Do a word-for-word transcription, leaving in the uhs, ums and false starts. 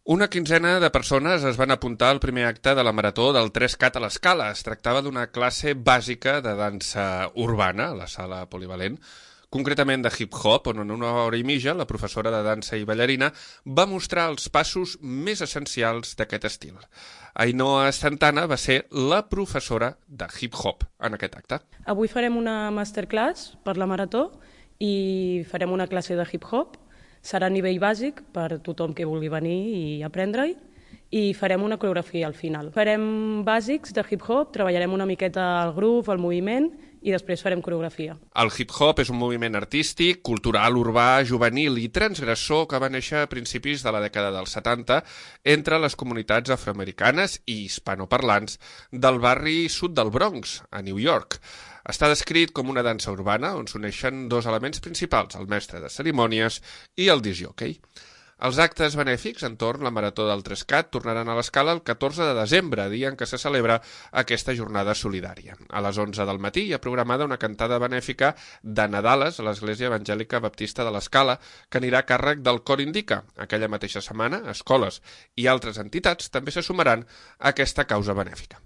Una quinzena de persones es van apuntar al primer acte de la Marató del tres cat a l'Escala. Es tractava d'una classe bàsica de dansa urbana, a la sala polivalent, concretament de hip-hop, on en una hora i mitja la professora de dansa i ballarina va mostrar els passos més essencials d'aquest estil. Ainhoa Santana va ser la professora de hip-hop en aquest acte. Avui farem una masterclass per la Marató i farem una classe de hip-hop. Serà a nivell bàsic per tothom que vulgui venir i aprendre-hi i farem una coreografia al final. Farem bàsics de hip-hop, treballarem una miqueta el groove, el moviment i després farem coreografia. El hip-hop és un moviment artístic, cultural, urbà, juvenil i transgressor que va néixer a principis de la dècada dels setanta entre les comunitats afroamericanes i hispanoparlants del barri sud del Bronx, a New York. Està descrit com una dansa urbana on s'uneixen dos elements principals, el mestre de cerimònies i el discjòquei. Els actes benèfics entorn la Marató del tres cat tornaran a l'Escala el catorze de desembre, dia en què se celebra aquesta jornada solidària. A les onze del matí hi ha programada una cantada benèfica de Nadales a l'Església Evangèlica Baptista de l'Escala, que anirà a càrrec del Cor Indica. Aquella mateixa setmana, escoles i altres entitats també se sumaran a aquesta causa benèfica.